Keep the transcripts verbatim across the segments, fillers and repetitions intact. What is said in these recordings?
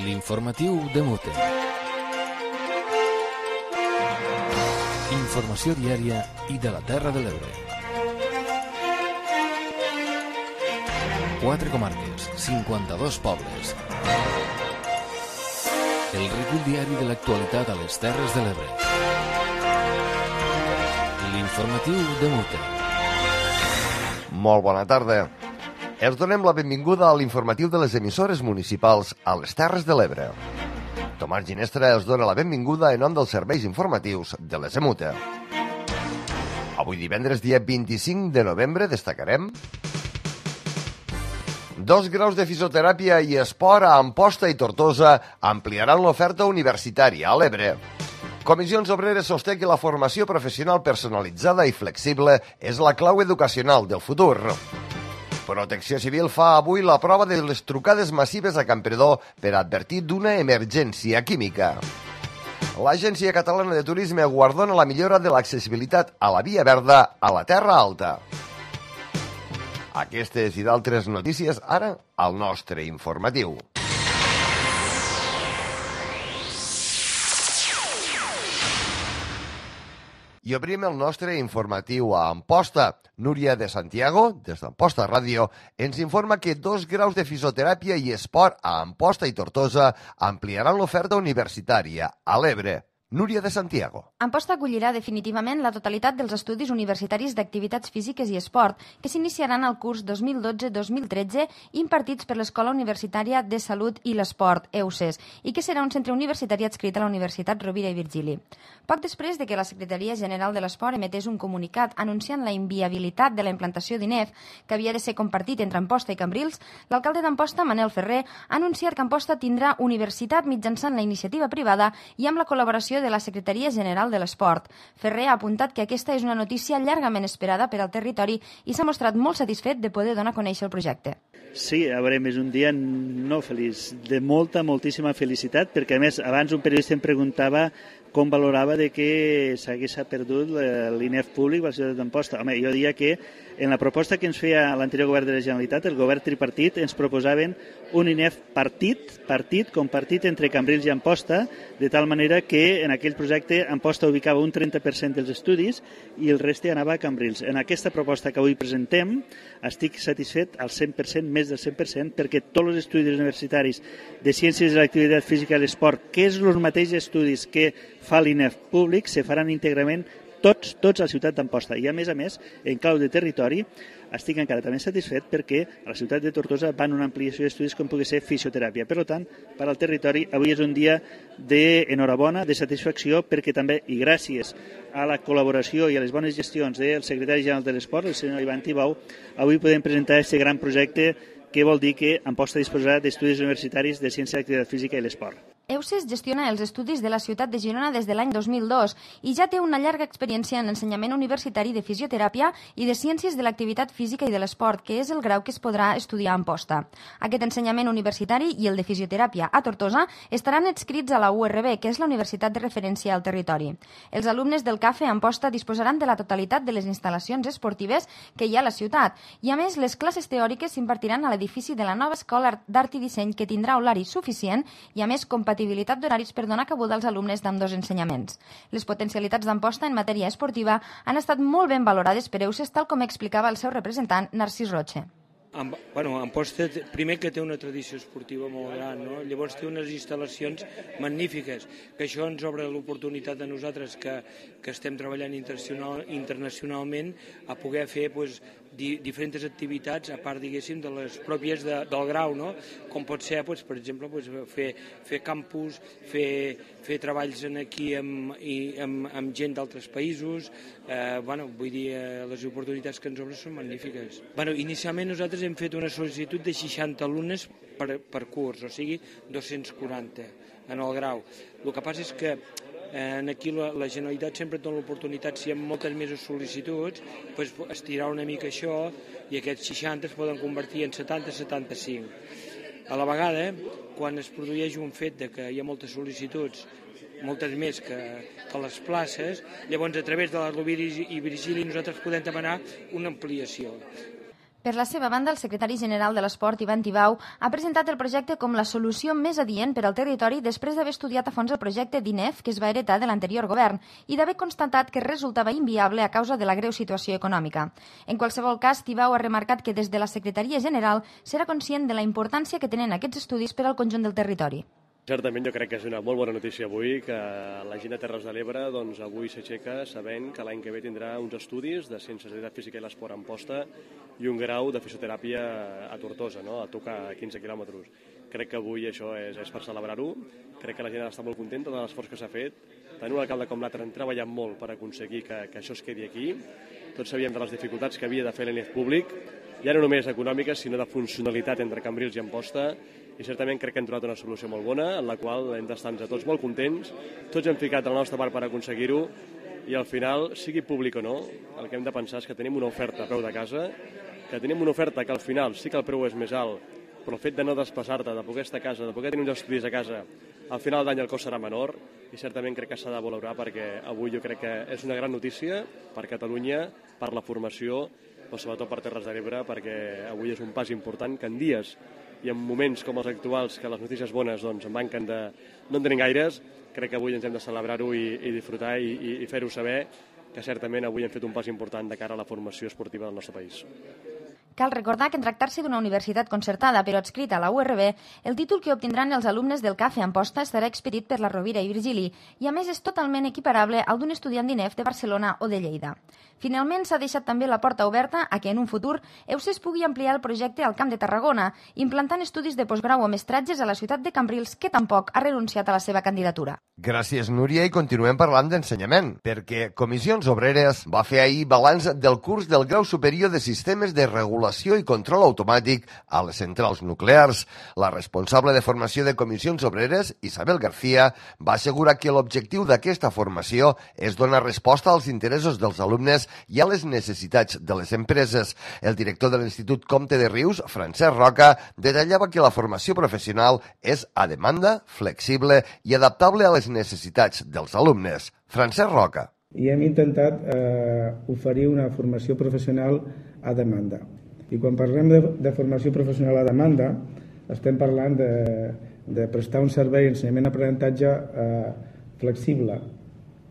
L'informatiu de Mute. Informació diària i de la Terra de l'Ebre. Quatre comarques, cinquanta-dos pobles. El recull diari de l'actualitat a les Terres de l'Ebre. L'informatiu de Mute. Molt bona tarda. Els donem la benvinguda a l'informatiu de les emissores municipals a les Terres de l'Ebre. Tomàs Ginestra els dona la benvinguda en nom dels serveis informatius de les EMUTE. Avui divendres, dia vint-i-cinc de novembre, destacarem dos graus de fisioteràpia i esport a Amposta i Tortosa ampliaran l'oferta universitària a l'Ebre. Comissions Obreres sosté que la formació professional personalitzada i flexible és la clau educacional del futur. Protecció Civil fa avui la prova de les trucades massives a Campredó per advertir d'una emergència química. L'Agència Catalana de Turisme guardona la millora de l'accessibilitat a la Via Verda a la Terra Alta. Aquestes i d'altres notícies ara al nostre informatiu. I obrim el nostre informatiu a Amposta. Núria de Santiago, des d'Amposta Ràdio, ens informa que dos graus de fisioteràpia i esport a Amposta i Tortosa ampliaran l'oferta universitària a l'Ebre. Núria de Santiago. Amposta acollirà definitivament la totalitat dels estudis universitaris d'activitats físiques i esport que s'iniciaran al curs dos mil dotze dos mil tretze impartits per l'Escola Universitària de Salut i l'Esport, E U S E S, i que serà un centre universitari adscrit a la Universitat Rovira i Virgili. Poc després de que la Secretaria General de l'Esport emetés un comunicat anunciant la inviabilitat de la implantació d'I N E F, que havia de ser compartit entre Amposta i Cambrils, l'alcalde d'Amposta, Manel Ferrer, ha anunciat que Amposta tindrà universitat mitjançant la iniciativa privada i amb la col·laboració de la Secretaria General de l'Esport. Ferrer ha apuntat que aquesta és una notícia llargament esperada per al territori i s'ha mostrat molt satisfet de poder donar a conèixer el projecte. Sí, a veure, és un dia no feliç, de molta, moltíssima felicitat, perquè a més abans un periodista em preguntava com valorava de que s'hagués perdut l'I N E F públic a la ciutat d'Amposta. Home, jo diria que en la proposta que ens feia l'anterior govern de la Generalitat, el govern tripartit, ens proposaven un I N E F partit, partit, compartit entre Cambrils i Amposta, de tal manera que en aquell projecte Amposta ubicava un trenta per cent dels estudis i el reste anava a Cambrils. En aquesta proposta que avui presentem estic satisfet al cent per cent, més del cent per cent, perquè tots els estudis universitaris de Ciències de l'Activitat Física i l'Esport, que és els mateixos estudis que fa l'I N E F públic, se faran íntegrament tots, tots a la ciutat d'Amposta. I a més a més, en clau de territori, estic encara també satisfet perquè a la ciutat de Tortosa van una ampliació d'estudis com pugui ser fisioteràpia. Per tant, per al territori, avui és un dia d'enhorabona, de satisfacció, perquè també, i gràcies a la col·laboració i a les bones gestions del secretari general de l'Esport, el senyor Ivan Tibau, avui podem presentar aquest gran projecte que vol dir que Amposta disposarà d'estudis universitaris de Ciència de l'Activitat Física i l'Esport. E U S E S gestiona els estudis de la ciutat de Girona des de l'any dos mil dos i ja té una llarga experiència en l'ensenyament universitari de fisioteràpia i de ciències de l'activitat física i de l'esport, que és el grau que es podrà estudiar a Amposta. Aquest ensenyament universitari i el de fisioteràpia a Tortosa estaran adscrits a la U R B, que és la universitat de referència al territori. Els alumnes del CAFE a Amposta disposaran de la totalitat de les instal·lacions esportives que hi ha a la ciutat i, a més, les classes teòriques s'impartiran a l'edifici de la nova Escola d'Art i Disseny, que tindrà horari suficient i, a més, compatibilitat compatibilitat d'horaris per donar cabuda als alumnes d'ambdós ensenyaments. Les potencialitats d'Amposta en matèria esportiva han estat molt ben valorades per E U S E S, tal com explicava el seu representant, Narcís Roche. Bueno, Amposta, primer que té una tradició esportiva molt gran, no? Llavors té unes instal·lacions magnífiques, que això ens obre l'oportunitat a nosaltres que, que estem treballant internacional, internacionalment a poder fer pues, di, diferents activitats, a part, diguéssim, de les pròpies de, del grau, no? Com pot ser, pues, per exemple, pues, fer, fer campus, fer, fer treballs aquí amb, i, amb, amb gent d'altres països, eh, bueno, vull dir, eh, les oportunitats que ens obren són magnífiques. Bueno, inicialment nosaltres hem fet una sol·licitud de seixanta alumnes per, per curs, o sigui, dos-cents quaranta en el grau. El que passa és que eh, aquí la, la Generalitat sempre dona l'oportunitat, si hi ha moltes més sol·licituds, pues, estirar una mica això i aquests seixanta es poden convertir en setanta a setanta-cinc. A la vegada, quan es produeix un fet de que hi ha moltes sol·licituds, moltes més que, que les places, llavors a través de la Rovira i Virgili nosaltres podem demanar una ampliació. Per la seva banda, el secretari general de l'Esport, Ivan Tibau, ha presentat el projecte com la solució més adient per al territori després d'haver estudiat a fons el projecte d'I N E F que es va heretar de l'anterior govern i d'haver constatat que resultava inviable a causa de la greu situació econòmica. En qualsevol cas, Tibau ha remarcat que des de la Secretaria General serà conscient de la importància que tenen aquests estudis per al conjunt del territori. Certament jo crec que és una molt bona notícia avui que la gent de Terres de l'Ebre doncs, avui s'aixeca sabent que l'any que ve tindrà uns estudis de Ciències de l'activitat física i l'esport a Amposta i un grau de fisioteràpia a Tortosa, no? A tocar quinze quilòmetres. Crec que avui això és, és per celebrar-ho, crec que la gent està molt contenta de l'esforç que s'ha fet. Tant un alcalde com l'altre han treballat molt per aconseguir que, que això es quedi aquí. Tots sabíem de les dificultats que havia de fer l'E N E F públic, ja no només econòmiques, sinó de funcionalitat entre Cambrils i Amposta, i certament crec que hem trobat una solució molt bona, en la qual hem d'estar tots molt contents, tots hem ficat la nostra part per aconseguir-ho, i al final, sigui públic o no, el que hem de pensar és que tenim una oferta a preu de casa, que tenim una oferta que al final sí que el preu és més alt, però el fet de no desplaçar-te, de poder estar a casa, de poder tenir uns estudis a casa, al final d'any el cost serà menor, i certament crec que s'ha de valorar perquè avui jo crec que és una gran notícia per Catalunya, per la formació, però sobretot per Terres de l'Ebre, perquè avui és un pas important que en dies i en moments com els actuals, que les notícies bones doncs, en manquen de... no en tenim gaires, crec que avui ens hem de celebrar-ho i, i disfrutar i, i, i fer-ho saber que certament avui hem fet un pas important de cara a la formació esportiva del nostre país. Cal recordar que en tractar-se d'una universitat concertada però adscrita a la U R B, el títol que obtindran els alumnes del C A F E Amposta estarà expedit per la Rovira i Virgili i a més és totalment equiparable al d'un estudiant d'I N E F de Barcelona o de Lleida. Finalment, s'ha deixat també la porta oberta a que en un futur Eusès pugui ampliar el projecte al Camp de Tarragona, implantant estudis de postgrau o mestratges a la ciutat de Cambrils, que tampoc ha renunciat a la seva candidatura. Gràcies, Núria, i continuem parlant d'ensenyament, perquè Comissions Obreres va fer ahir balanç del curs del grau superior de Sistemes de Regulació i Control Automàtic a les centrals nuclears. La responsable de formació de Comissions Obreres, Isabel García, va assegurar que l'objectiu d'aquesta formació és donar resposta als interessos dels alumnes i a les necessitats de les empreses. El director de l'Institut Comte de Rius, Francesc Roca, detallava que la formació professional és a demanda, flexible i adaptable a les necessitats dels alumnes. Francesc Roca. I hem intentat eh, oferir una formació professional a demanda. I quan parlem de, de formació professional a demanda, estem parlant de, de prestar un servei d'ensenyament-aprenentatge eh, flexible,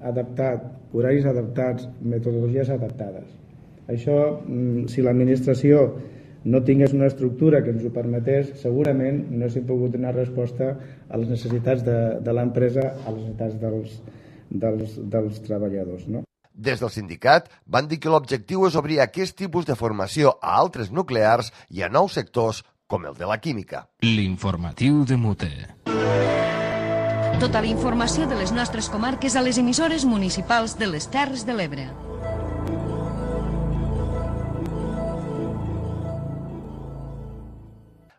adaptat, horaris adaptats, metodologies adaptades. Això, si l'administració no tingués una estructura que ens ho permetés, segurament no s'hi pogut donar resposta a les necessitats de, de l'empresa, a les necessitats dels, dels, dels treballadors, no? Des del sindicat van dir que l'objectiu és obrir aquest tipus de formació a altres nuclears i a nous sectors com el de la química. L'informatiu de Mute. Tota la informació de les nostres comarques a les emissores municipals de les Terres de l'Ebre.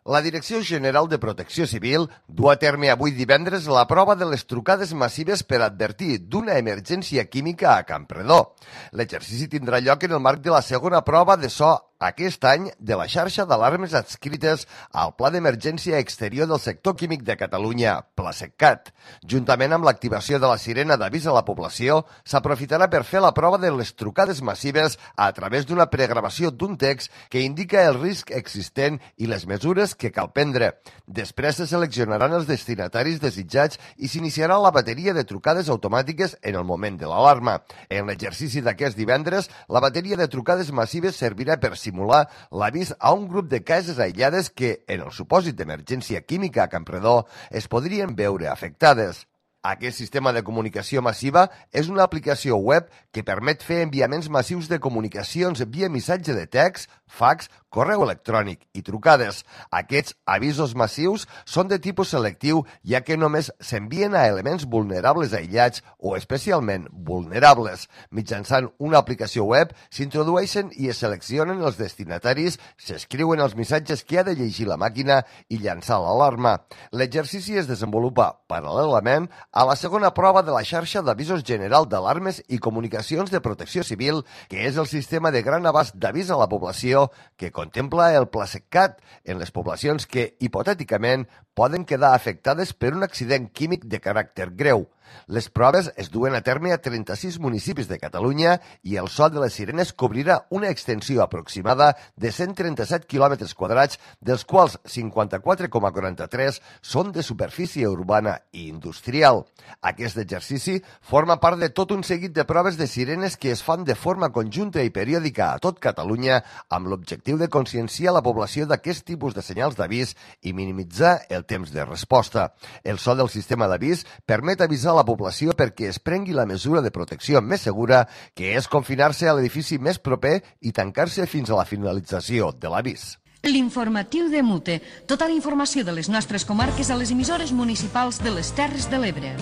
La Direcció General de Protecció Civil du a terme avui divendres la prova de les trucades massives per advertir d'una emergència química a Campredó. L'exercici tindrà lloc en el marc de la segona prova de so aquest any de la xarxa d'alarmes adscrites al Pla d'Emergència Exterior del Sector Químic de Catalunya, PLASECCAT. Juntament amb l'activació de la sirena d'avís a la població, s'aprofitarà per fer la prova de les trucades massives a través d'una pregravació d'un text que indica el risc existent i les mesures que cal prendre. Després se seleccionaran els destinataris desitjats i s'iniciarà la bateria de trucades automàtiques en el moment de l'alarma. En l'exercici d'aquest divendres, la bateria de trucades massives servirà per simular l'avís a un grup de cases aïllades que, en el supòsit d'emergència química a Campredó, es podrien veure afectades. Aquest sistema de comunicació massiva és una aplicació web que permet fer enviaments massius de comunicacions via missatge de text, fax, correu electrònic i trucades. Aquests avisos massius són de tipus selectiu, ja que només s'envien a elements vulnerables aïllats o especialment vulnerables. Mitjançant una aplicació web s'introdueixen i es seleccionen els destinataris, s'escriuen els missatges que ha de llegir la màquina i llançar l'alarma. L'exercici es desenvolupa paral·lelament a la segona prova de la xarxa d'avisos general d'alarmes i comunicacions de protecció civil, que és el sistema de gran abast d'avís a la població que contempla el PLASECCAT en les poblacions que, hipotèticament, poden quedar afectades per un accident químic de caràcter greu. Les proves es duen a terme a trenta-sis municipis de Catalunya i el so de les sirenes cobrirà una extensió aproximada de cent trenta-set quilòmetres quadrats, dels quals cinquanta-quatre coma quaranta-tres són de superfície urbana i industrial. Aquest exercici forma part de tot un seguit de proves de sirenes que es fan de forma conjunta i periòdica a tot Catalunya amb l'objectiu de conscienciar la població d'aquest tipus de senyals d'avís i minimitzar el temps de resposta. El so del sistema d'avís permet avisar a la població perquè es prengui la mesura de protecció més segura, que és confinar-se a l'edifici més proper i tancar-se fins a la finalització de l'avís. L'informatiu de Mute. Tota la informació de les nostres comarques a les emissores municipals de les Terres de l'Ebre.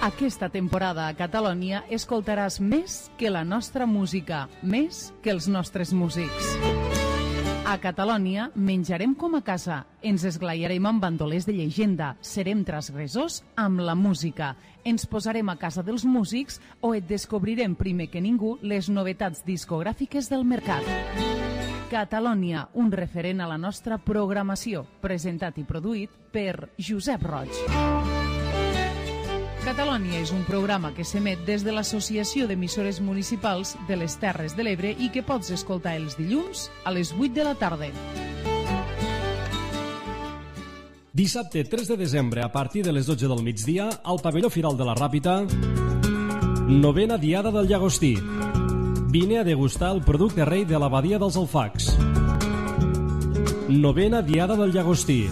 Aquesta temporada a Catalunya escoltaràs més que la nostra música, més que els nostres músics. A Catalunya menjarem com a casa, ens esglaiarem amb bandolers de llegenda, serem transgressors amb la música, ens posarem a casa dels músics o et descobrirem primer que ningú les novetats discogràfiques del mercat. Catalunya, un referent a la nostra programació, presentat i produït per Josep Roig. Catalunya és un programa que s'emet des de l'Associació d'Emissores Municipals de les Terres de l'Ebre i que pots escoltar els dilluns a les vuit de la tarda. Dissabte tres de desembre, a partir de les dotze del migdia, al pavelló Firal de la Ràpita, novena Diada del Llagostí. Vine a degustar el producte rei de l'abadia dels Alfacs. Novena Diada del Llagostí.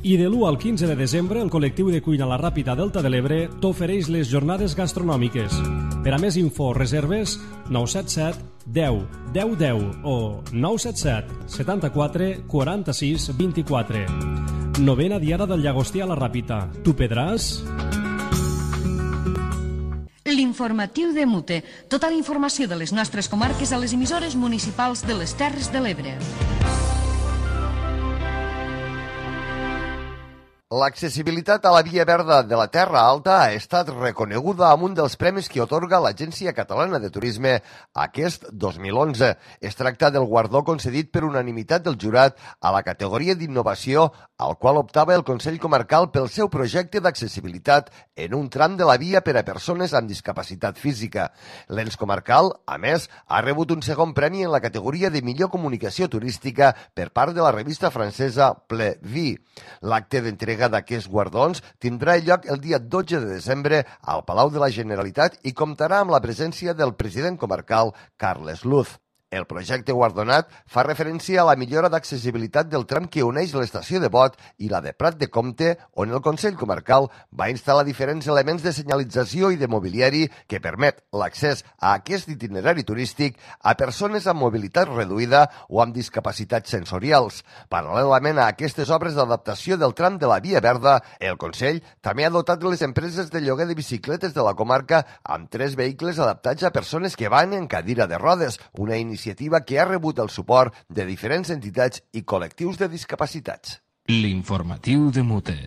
I de l'u al quinze de desembre, el col·lectiu de cuina La Ràpita Delta de l'Ebre t'ofereix les jornades gastronòmiques. Per a més info, reserves nou set set deu deu deu o nou set set setanta-quatre quaranta-sis vint-i-quatre. Novena Diada del Llagostí a La Ràpita. Tu pedràs? L'informatiu de Mute. Tota la informació de les nostres comarques a les emissores municipals de les Terres de l'Ebre. L'accessibilitat a la Via Verda de la Terra Alta ha estat reconeguda amb un dels premis que atorga l'Agència Catalana de Turisme aquest dos mil onze. Es tracta del guardó concedit per unanimitat del jurat a la categoria d'innovació, al qual optava el Consell Comarcal pel seu projecte d'accessibilitat en un tram de la via per a persones amb discapacitat física. L'ens comarcal, a més, ha rebut un segon premi en la categoria de millor comunicació turística per part de la revista francesa Ple Vie. L'acte d'entrega d'aquests guardons tindrà lloc el dia dotze de desembre al Palau de la Generalitat i comptarà amb la presència del president comarcal Carles Luz. El projecte guardonat fa referència a la millora d'accessibilitat del tram que uneix l'estació de Bot i la de Prat de Comte, on el Consell Comarcal va instal·lar diferents elements de senyalització i de mobiliari que permet l'accés a aquest itinerari turístic a persones amb mobilitat reduïda o amb discapacitats sensorials. Paral·lelament a aquestes obres d'adaptació del tram de la Via Verda, el Consell també ha dotat les empreses de lloguer de bicicletes de la comarca amb tres vehicles adaptats a persones que van en cadira de rodes, una iniciativa iniciativa que ha rebut el suport de diferents entitats i col·lectius de discapacitats. L'informatiu de Mute.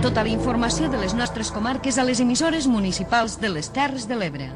Tota la informació de les nostres comarques a les emissores municipals de les Terres de l'Ebre.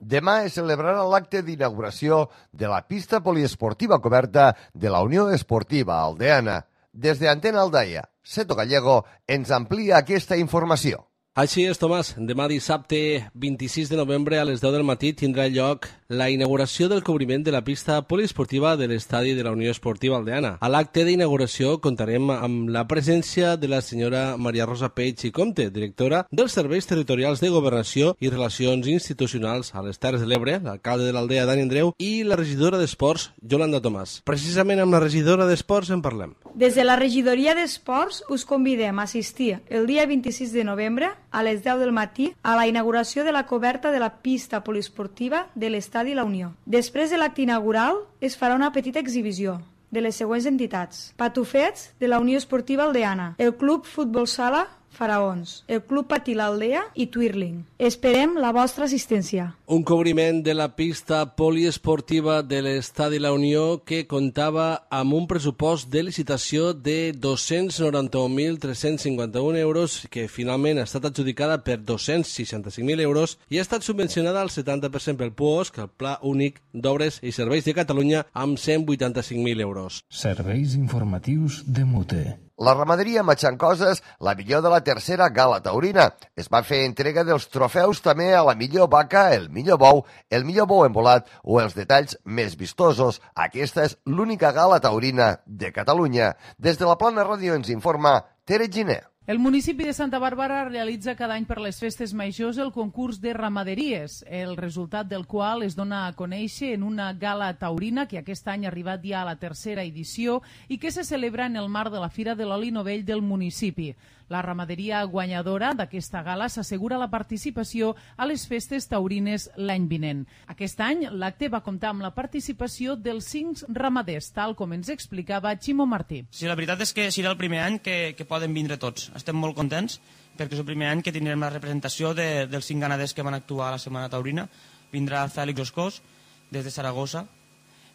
Demà es celebrarà l'acte d'inauguració de la pista poliesportiva coberta de la Unió Esportiva Aldeana. Des de Antena Aldaia, Seto Gallego ens amplia aquesta informació. Així és, Tomàs. Demà dissabte vint-i-sis de novembre a les deu del matí tindrà lloc la inauguració del cobriment de la pista poliesportiva de l'estadi de la Unió Esportiva Aldeana. A l'acte d'inauguració contarem amb la presència de la senyora Maria Rosa Peix i Comte, directora dels Serveis Territorials de Governació i Relacions Institucionals a les Terres de l'Ebre, l'alcalde de l'Aldea, Dani Andreu, i la regidora d'Esports, Yolanda Tomàs. Precisament amb la regidora d'Esports en parlem. Des de la regidoria d'Esports us convidem a assistir el dia vint-i-sis de novembre a les deu del matí a la inauguració de la coberta de la pista poliesportiva de l'Estadi La Unió. Després de l'acte inaugural es farà una petita exhibició de les següents entitats: Patufets de la Unió Esportiva Aldeana, el Club Futbol Sala Faraons, el Club Patí l'Aldea i Twirling. Esperem la vostra assistència. Un cobriment de la pista poliesportiva de l'Estadi La Unió que comptava amb un pressupost de licitació de dos-cents noranta-un mil tres-cents cinquanta-un euros que finalment ha estat adjudicada per dos-cents seixanta-cinc mil euros i ha estat subvencionada al setanta per cent pel P U O S, que el Pla Únic d'Obres i Serveis de Catalunya, amb cent vuitanta-cinc mil euros. Serveis informatius de Mute. La ramaderia Matxancoses, la millor de la tercera gala taurina. Es va fer entrega dels trofeus també a la millor vaca, el millor bou, el millor bou embolat o els detalls més vistosos. Aquesta és l'única gala taurina de Catalunya. Des de la Plana Ràdio ens informa Tere Giner. El municipi de Santa Bàrbara realitza cada any per les festes majors el concurs de ramaderies, el resultat del qual es dona a conèixer en una gala taurina que aquest any ha arribat ja a la tercera edició i que se celebra en el marc de la Fira de l'Oli Novell del municipi. La ramaderia guanyadora d'aquesta gala s'assegura la participació a les festes taurines l'any vinent. Aquest any l'acte va comptar amb la participació dels cinc ramaders, tal com ens explicava Ximo Martí. Sí, la veritat és que serà el primer any que, que poden vindre tots. Estem molt contents perquè és el primer any que tindrem la representació de, dels cinc ganaders que van actuar a la Setmana Taurina. Vindrà Fèlix Oscós, des de Saragossa,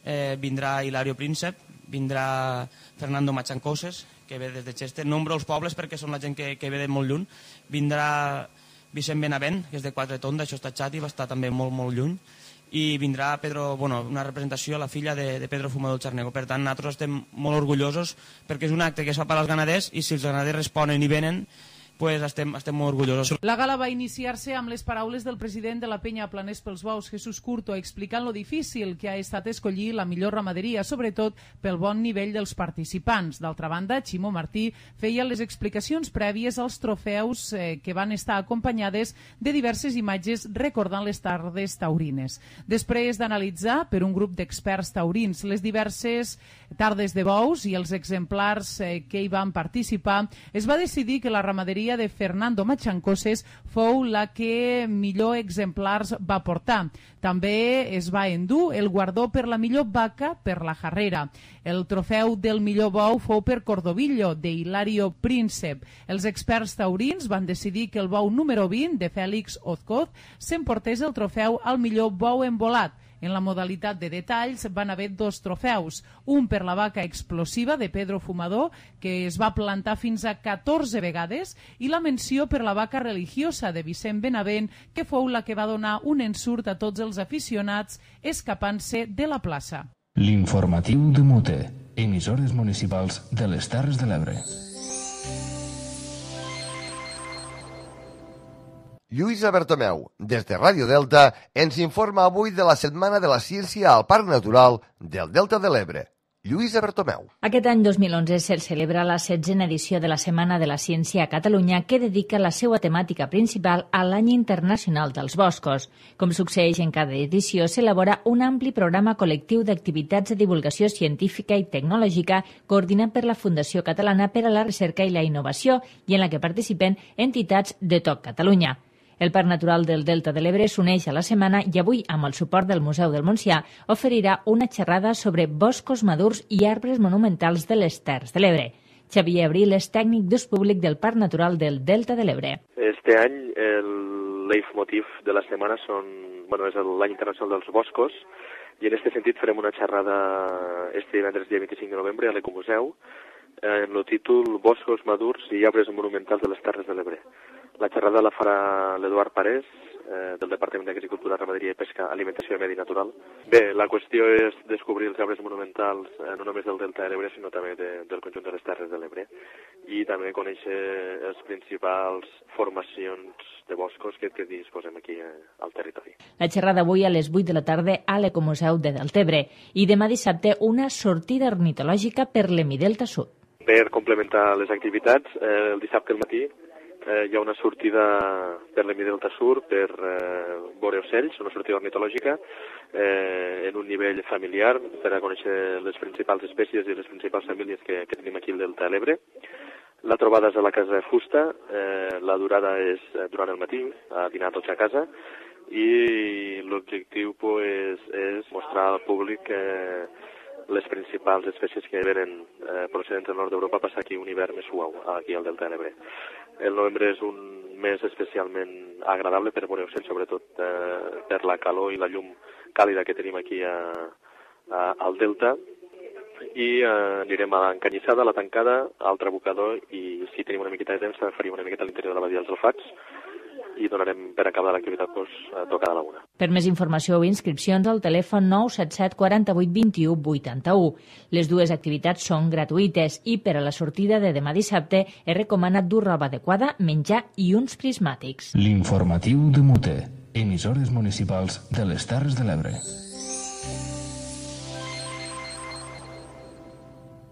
eh, vindrà Hilario Príncep, vindrà Fernando Matxancoses, que ve des de Chester, nombro els pobles perquè són la gent que, que ve de molt lluny, vindrà Vicent Benavent, que és de Quatretonda, això està xat i va estar també molt, molt lluny, i vindrà Pedro, bueno, una representació, la filla de, de Pedro Fumador Charnego. Per tant, nosaltres estem molt orgullosos perquè és un acte que es fa per als ganaders i si els ganaders responen i venen, pues estem, estem molt orgullosos. La gala va iniciar-se amb les paraules del president de la penya Planers pels Bous, Jesús Curto, explicant lo difícil que ha estat escollir la millor ramaderia, sobretot pel bon nivell dels participants. D'altra banda, Ximo Martí feia les explicacions prèvies als trofeus eh, que van estar acompanyades de diverses imatges recordant les tardes taurines. Després d'analitzar per un grup d'experts taurins les diverses tardes de bous i els exemplars eh, que hi van participar, es va decidir que la ramaderia de Fernando Matxancoses fou la que millor exemplars va portar. També es va endur el guardó per la millor vaca per la Jarrera. El trofeu del millor bou fou per Cordovillo, de Hilario Príncep. Els experts taurins van decidir que el bou número vint, de Fèlix Oscós, s'emportés el trofeu al millor bou embolat. En la modalitat de detalls van haver dos trofeus, un per la vaca explosiva de Pedro Fumador, que es va plantar fins a catorze vegades, i la menció per la vaca religiosa de Vicent Benavent, que fou la que va donar un ensurt a tots els aficionats escapant-se de la plaça. L'informatiu de Mute, emissores municipals de les Terres de l'Ebre. Lluïsa Bertomeu, des de Ràdio Delta, ens informa avui de la Setmana de la Ciència al Parc Natural del Delta de l'Ebre. Lluïsa Bertomeu. Aquest any dos mil onze se celebra la setzena edició de la Setmana de la Ciència a Catalunya, que dedica la seva temàtica principal a l'Any Internacional dels Boscos. Com succeeix en cada edició, s'elabora un ampli programa col·lectiu d'activitats de divulgació científica i tecnològica coordinat per la Fundació Catalana per a la Recerca i la Innovació i en la que participen entitats de tot Catalunya. El Parc Natural del Delta de l'Ebre s'uneix a la setmana i avui, amb el suport del Museu del Montsià, oferirà una xerrada sobre boscos madurs i arbres monumentals de les Terres de l'Ebre. Xavier Abril és tècnic d'ús públic del Parc Natural del Delta de l'Ebre. Este any el leitmotiv de la setmana són, bueno, és l'any internacional dels boscos i en aquest sentit farem una xerrada este divendres dia vint-i-cinc de novembre a l'Ecomuseu en el títol Boscos madurs i arbres monumentals de les Terres de l'Ebre. La xerrada la farà l'Eduard Parés, eh, del Departament d'Agricultura, Ramaderia i Pesca, Alimentació i Medi Natural. Bé, la qüestió és descobrir els arbres monumentals eh, no només del Delta de l'Ebre, sinó també de, del conjunt de les Terres de l'Ebre. I també conèixer les principals formacions de boscos que, que disposem aquí eh, al territori. La xerrada avui a les vuit de la tarda a l'Ecomuseu de Deltebre i demà dissabte una sortida ornitològica per l'Hemidelta Sud. Per complementar les activitats, eh, el dissabte al matí Eh, hi ha una sortida per l'Hemidelta Sur per eh, veure ocells, una sortida ornitològica eh, en un nivell familiar per a conèixer les principals espècies i les principals famílies que, que tenim aquí al Delta de l'Ebre. La trobada és a la Casa Fusta, eh, la durada és durant el matí, a dinar tots a casa, i l'objectiu pues, és mostrar al públic eh, les principals espècies que venen eh, procedents del nord d'Europa a passar aquí un hivern més suau, aquí al Delta de l'Ebre. el novembre és un mes especialment agradable per veure ocells, sobretot eh, per la calor i la llum càlida que tenim aquí a, a, al Delta. I eh, anirem a l'Encanyissada, a la Tancada, al Trabucador, i si tenim una miqueta de temps també faríem una miqueta a l'interior de la Badia dels Alfats i donarem per acabar l'activitat doncs, a tocar a la una. Per més informació o inscripcions al telèfon nou set set quaranta-vuit vint-i-u vuitanta-u. Les dues activitats són gratuïtes i per a la sortida de demà dissabte es recomana dur roba adequada, menjar i uns prismàtics. L'informatiu de Mute, emissores municipals de les Terres de l'Ebre.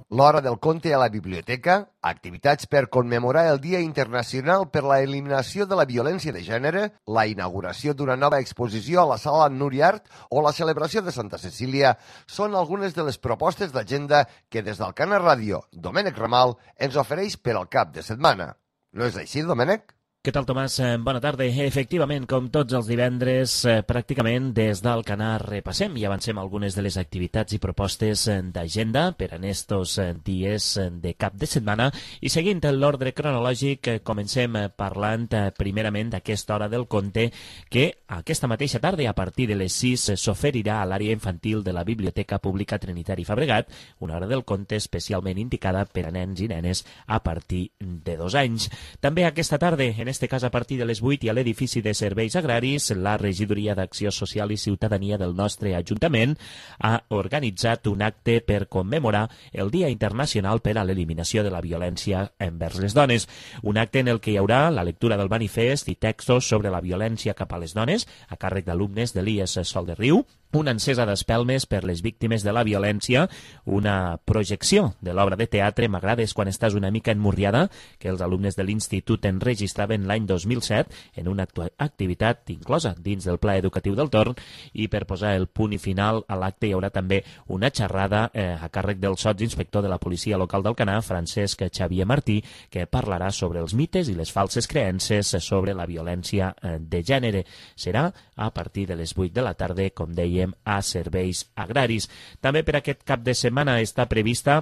L'Hora del Conte a la biblioteca, activitats per commemorar el Dia Internacional per la Eliminació de la Violència de Gènere, la inauguració d'una nova exposició a la Sala Nuriart o la celebració de Santa Cecília són algunes de les propostes d'agenda que des del Cana Ràdio, Domènec Ramal, ens ofereix per al cap de setmana. No és així, Domènec? Què tal, Tomàs? Bona tarda. Efectivament, com tots els divendres, pràcticament des del Canà repassem i avancem algunes de les activitats i propostes d'agenda per en estos dies de cap de setmana. I seguint l'ordre cronològic, comencem parlant primerament d'aquesta hora del conte que aquesta mateixa tarda, a partir de les sis, s'oferirà a l'àrea infantil de la Biblioteca Pública Trinitari Fabregat, una hora del conte especialment indicada per a nens i nenes a partir de dos anys. També aquesta tarda, en este cas a partir de les vuit, i a l'edifici de Serveis Agraris, la Regidoria d'Acció Social i Ciutadania del nostre Ajuntament ha organitzat un acte per commemorar el Dia Internacional per a l'Eliminació de la Violència envers les Dones. Un acte en el que hi haurà la lectura del manifest i textos sobre la violència cap a les dones a càrrec d'alumnes de l'I E S Sol de Riu, una encesa d'espelmes per les víctimes de la violència, una projecció de l'obra de teatre M'agrades quan estàs una mica emmurriada, que els alumnes de l'Institut enregistraven l'any dos mil set en una activitat inclosa dins del Pla Educatiu del Torn, i per posar el punt i final a l'acte hi haurà també una xerrada eh, a càrrec del sotsinspector de la Policia Local d'Alcanar, Francesc Xavier Martí, que parlarà sobre els mites i les falses creences sobre la violència eh, de gènere. Serà a partir de les vuit de la tarda, com deia, a Serveis Agraris. També per aquest cap de setmana està prevista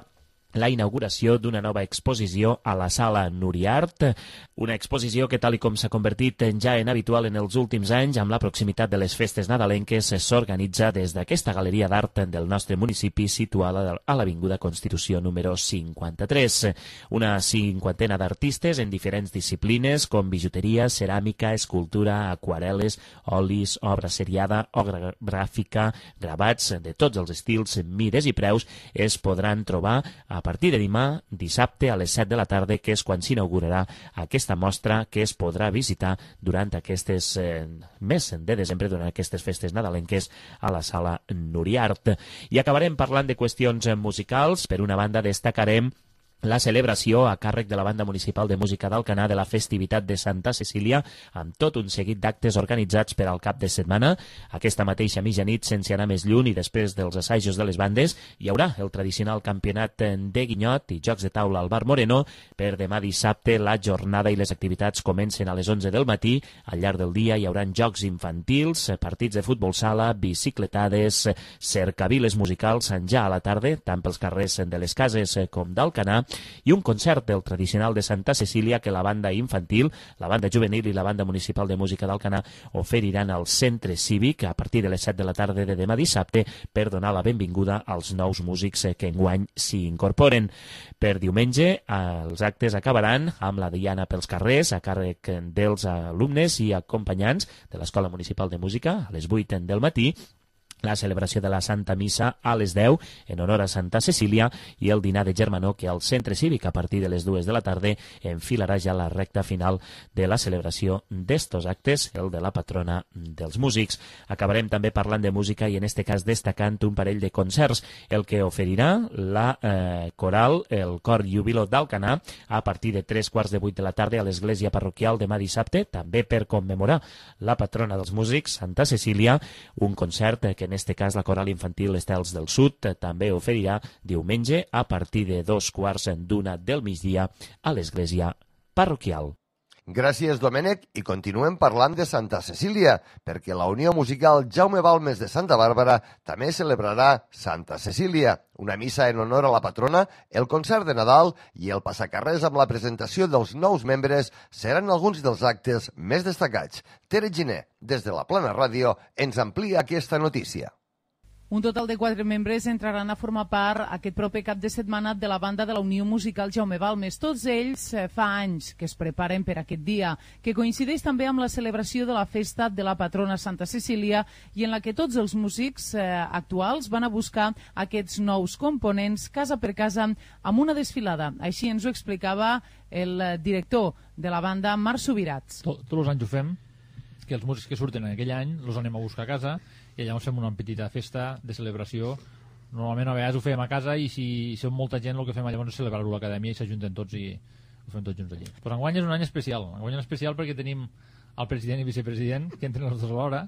la inauguració d'una nova exposició a la Sala Nuriart, una exposició que, tal i com s'ha convertit ja en habitual en els últims anys, amb la proximitat de les festes nadalenques, s'organitza des d'aquesta galeria d'art del nostre municipi situada a l'Avinguda Constitució número cinquanta-tres. Una cinquantena d'artistes en diferents disciplines com bijuteria, ceràmica, escultura, aquarel·les, olis, obra seriada, obra gràfica, gravats de tots els estils, mides i preus es podran trobar a partir de demà, dissabte, a les set de la tarda, que és quan s'inaugurarà aquesta mostra que es podrà visitar durant aquestes eh, mes de desembre, durant aquestes festes nadalenques a la Sala Nuriart. I acabarem parlant de qüestions musicals. Per una banda, destacarem la celebració a càrrec de la Banda Municipal de Música d'Alcanar de la festivitat de Santa Cecília, amb tot un seguit d'actes organitzats per al cap de setmana. Aquesta mateixa mitjanit, sense anar més lluny i després dels assajos de les bandes, hi haurà el tradicional campionat de guinyot i jocs de taula al Bar Moreno. Per demà dissabte, la jornada i les activitats comencen a les onze del matí. Al llarg del dia hi haurà jocs infantils, partits de futbol sala, bicicletades, cercaviles musicals ja a la tarda, tant pels carrers de les cases com d'Alcanar, i un concert del tradicional de Santa Cecília que la banda infantil, la banda juvenil i la banda municipal de música d'Alcanar oferiran al centre cívic a partir de les set de la tarda de demà dissabte per donar la benvinguda als nous músics que enguany s'hi incorporen. Per diumenge, els actes acabaran amb la diana pels carrers a càrrec dels alumnes i acompanyants de l'Escola Municipal de Música a les vuit del matí, la celebració de la Santa Missa a les deu en honor a Santa Cecília i el dinar de germanor que al centre cívic a partir de les dues de la tarda enfilarà ja la recta final de la celebració d'estos actes, el de la patrona dels músics. Acabarem també parlant de música i en este cas destacant un parell de concerts, el que oferirà la eh, coral, el Cor Júbilo d'Alcanar, a partir de tres quarts de vuit de la tarda a l'església parroquial demà dissabte, també per commemorar la patrona dels músics, Santa Cecília, un concert que en este cas la coral infantil Estels del Sud també oferirà diumenge a partir de dos quarts d'una del migdia a l'església parroquial. Gràcies, Domènec, i continuem parlant de Santa Cecília, perquè la Unió Musical Jaume Balmes de Santa Bàrbara també celebrarà Santa Cecília, una missa en honor a la patrona, el concert de Nadal i el passacarrers amb la presentació dels nous membres seran alguns dels actes més destacats. Tere Giner, des de la Plana Ràdio, ens amplia aquesta notícia. Un total de quatre membres entraran a formar part aquest proper cap de setmana de la banda de la Unió Musical Jaume Balmes. Tots ells fa anys que es preparen per aquest dia, que coincideix també amb la celebració de la festa de la patrona Santa Cecília i en la que tots els músics eh, actuals van a buscar aquests nous components casa per casa amb una desfilada. Així ens ho explicava el director de la banda, Marc Subirats. Tots els anys ho fem, que els músics que surten en aquell any els anem a buscar a casa i llavors fem una petita festa de celebració. Normalment a vegades ho fem a casa i si som molta gent el que fem llavors és celebrar-ho a l'acadèmia i s'ajunten tots i ho fem tots junts allí. Però enguany és un any especial, enguany és especial perquè tenim el president i vicepresident que entren els dos alhora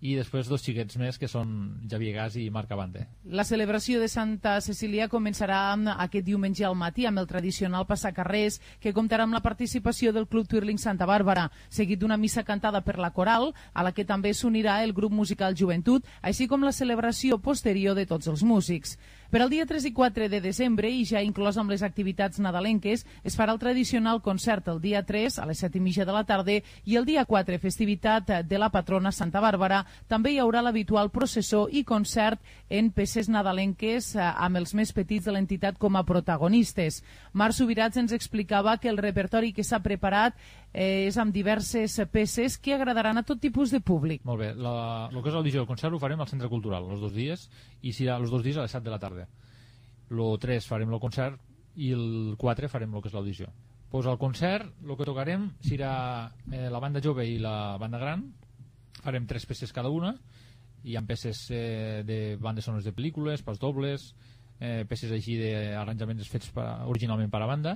i després dos xiquets més que són Javier Gas i Marc Abante. La celebració de Santa Cecília començarà aquest diumenge al matí amb el tradicional passacarrers que comptarà amb la participació del Club Twirling Santa Bàrbara, seguit d'una missa cantada per la coral, a la que també s'unirà el grup musical Joventut, així com la celebració posterior de tots els músics. Per al dia tres i quatre de desembre, i ja inclòs amb les activitats nadalenques, es farà el tradicional concert el dia tres a les set i mitja de la tarda i el dia quatre, festivitat de la patrona Santa Bàrbara. També hi haurà l'habitual processó i concert en peces nadalenques amb els més petits de l'entitat com a protagonistes. Marc Subirats ens explicava que el repertori que s'ha preparat és amb diverses peces que agradaran a tot tipus de públic. Molt bé, la, el que és l'audició del concert ho farem al Centre Cultural els dos dies i serà els dos dies a les set de la tarda. El tres farem el concert i el quatre farem el que és l'audició. Pues al concert el que tocarem serà eh, la banda jove i la banda gran. Farem tres peces cada una. Hi ha peces eh, de bandes sonores de pel·lícules, pas dobles, eh, peces així d'arranjaments fets per, originalment per a banda.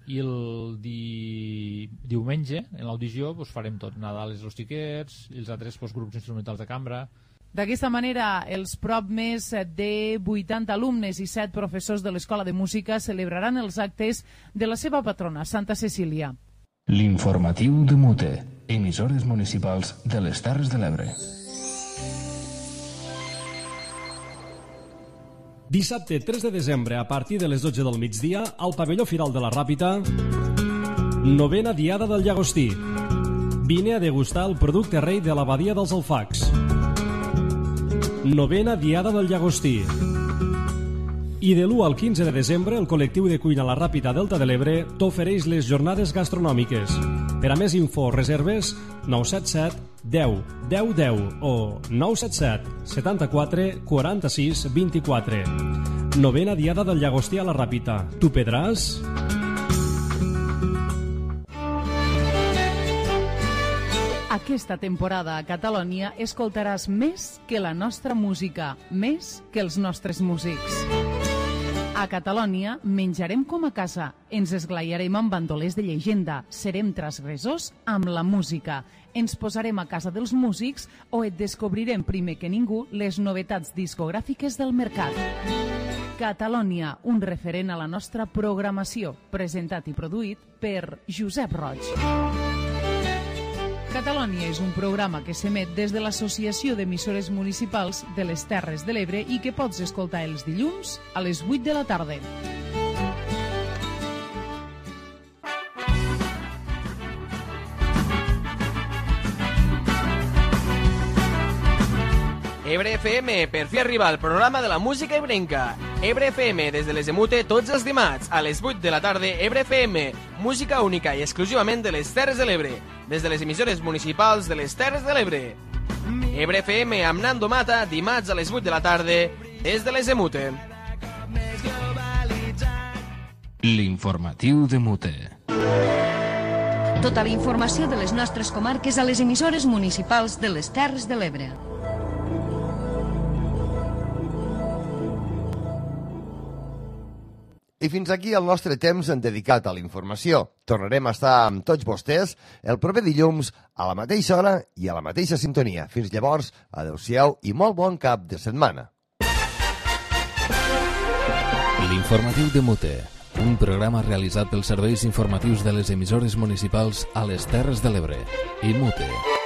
I el di... diumenge en l'audició pues, farem tot, Nadal és els xiquets i els altres pues, grups instrumentals de cambra. D'aquesta manera, els prop més de vuitanta alumnes i set professors de l'Escola de Música celebraran els actes de la seva patrona, Santa Cecília. L'informatiu de Mute, emissores municipals de les Terres de l'Ebre. Dissabte tres de desembre, a partir de les dotze del migdia, al pavelló Firal de la Ràpita, novena Diada del Llagostí. Vine a degustar el producte rei de l'abadia dels Alfacs. Novena Diada del Llagostí. I de l'u al quinze de desembre, el col·lectiu de cuina La Ràpita Delta de l'Ebre t'ofereix les jornades gastronòmiques. Per a més info, reserves nou set set deu deu deu o nou set set setanta-quatre quaranta-sis vint-i-quatre. Novena Diada del Llagostí a La Ràpita. Tu pedràs? Aquesta temporada a Catalònia escoltaràs més que la nostra música, més que els nostres músics. A Catalònia menjarem com a casa, ens esglaiarem amb bandolers de llegenda, serem transgressors amb la música, ens posarem a casa dels músics o et descobrirem primer que ningú les novetats discogràfiques del mercat. Catalònia, un referent a la nostra programació, presentat i produït per Josep Roig. Catalònia és un programa que s'emet des de l'Associació d'Emissores Municipals de les Terres de l'Ebre i que pots escoltar els dilluns a les vuit de la tarda. Ebre F M, per fi arriba el programa de la música ebrenca. Ebre F M, des de les de Mute, tots els dimarts, a les vuit de la tarda, Ebre F M, música única i exclusivament de les Terres de l'Ebre, des de les emissores municipals de les Terres de l'Ebre. Ebre F M amb Nando Mata, dimarts a les vuit de la tarda, des de les de Mute. L'informatiu de Mute. Tota la informació de les nostres comarques a les emissores municipals de les Terres de l'Ebre. I fins aquí el nostre temps en dedicat a la informació. Tornarem a estar amb tots vostès el proper dilluns a la mateixa hora i a la mateixa sintonia. Fins llavors, adeu-siau i molt bon cap de setmana. L'informatiu de Mute, un programa realitzat pels serveis informatius de les emissores municipals a les Terres de l'Ebre. I Mute.